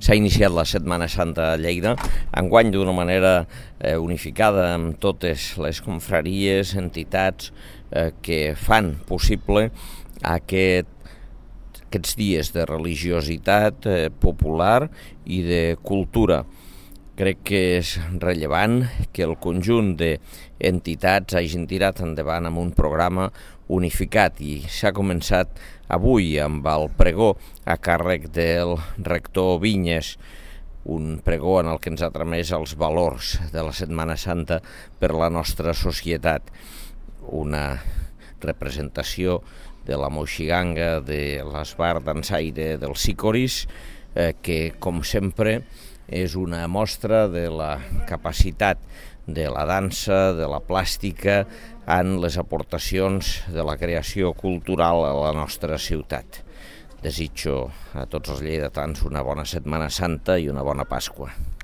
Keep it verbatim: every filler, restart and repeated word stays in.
s'ha iniciat la Setmana Santa a Lleida, enguany d'una manera eh, unificada amb totes les confraries, entitats eh, que fan possible aquest, aquests dies de religiositat eh, popular i de cultura. Crec que és rellevant que el conjunt d'entitats hagin tirat endavant amb un programa unificat i s'ha començat avui amb el pregó a càrrec del rector Vinyes, un pregó en el que ens ha tramès els valors de la Setmana Santa per la nostra societat. Una representació de la moixiganga, de l'esbar dansaire dels Sicoris, eh, que, com sempre, és una mostra de la capacitat de la dansa, de la plàstica, en les aportacions de la creació cultural a la nostra ciutat. Desitjo a tots els lleidatans una bona Setmana Santa i una bona Pasqua.